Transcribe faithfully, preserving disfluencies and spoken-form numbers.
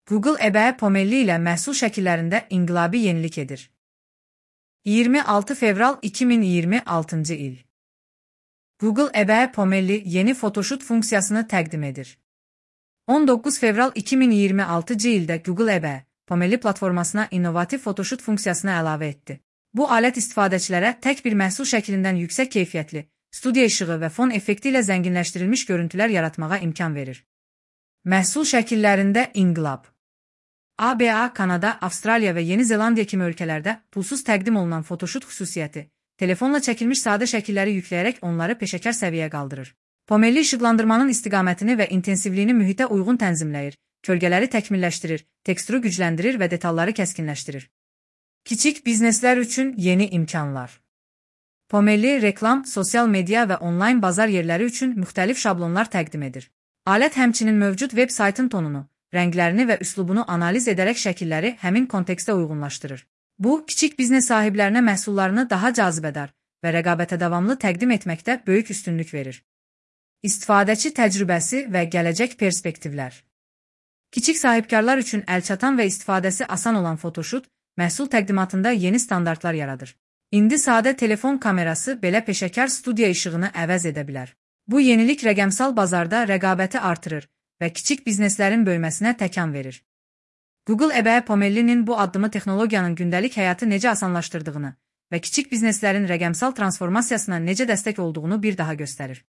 Google eBay Pomeli ilə məhsul şəkillərində inqilabi yenilik edir. iyirmi altı fevral iki min iyirmi altıncı il. Google eBay Pomeli yeni Photoshop funksiyasını təqdim edir. on doqquz fevral iki min iyirmi altıncı ildə Google eBay Pomeli platformasına innovativ Photoshop funksiyasını əlavə etdi. Bu alət istifadəçilərə tək bir məhsul şəklindən yüksək keyfiyyətli, studiya işığı və fon effekti ilə zənginləşdirilmiş görüntülər yaratmağa imkan verir. Məhsul şəkillərində inqilab. A B A, Kanada, Avstraliya və Yeni Zelandiya kimi ölkələrdə pulsuz təqdim olunan Photoshop xüsusiyyəti, telefonla çəkilmiş sadə şəkilləri yükləyərək onları peşəkar səviyyə qaldırır. Pomeli işıqlandırmanın istiqamətini və intensivliyini mühitə uyğun tənzimləyir, kölgələri təkmilləşdirir, teksturu gücləndirir və detalları kəskinləşdirir. Kiçik bizneslər üçün yeni imkanlar. Pomeli reklam, sosial media və onlayn bazar yerləri üçün müxtəlif şablonlar təqdim edir. Alət həmçinin mövcud veb saytın tonunu, rənglərini və üslubunu analiz edərək şəkilləri həmin kontekstə uyğunlaşdırır. Bu, kiçik biznes sahiblərinə məhsullarını daha cazibədar və rəqabətə davamlı təqdim etməkdə böyük üstünlük verir. İstifadəçi təcrübəsi və gələcək perspektivlər. Kiçik sahibkarlar üçün əlçatan və istifadəsi asan olan Photoshop, məhsul təqdimatında yeni standartlar yaradır. İndi sadə telefon kamerası belə peşəkar studiya işığını əvəz edə bilər. Bu yenilik rəqəmsal bazarda rəqabəti artırır və kiçik bizneslərin böyüməsinə təkan verir. Google eBay Pomeli'nin bu addımı texnologiyanın gündəlik həyatı necə asanlaşdırdığını və kiçik bizneslərin rəqəmsal transformasiyasına necə dəstək olduğunu bir daha göstərir.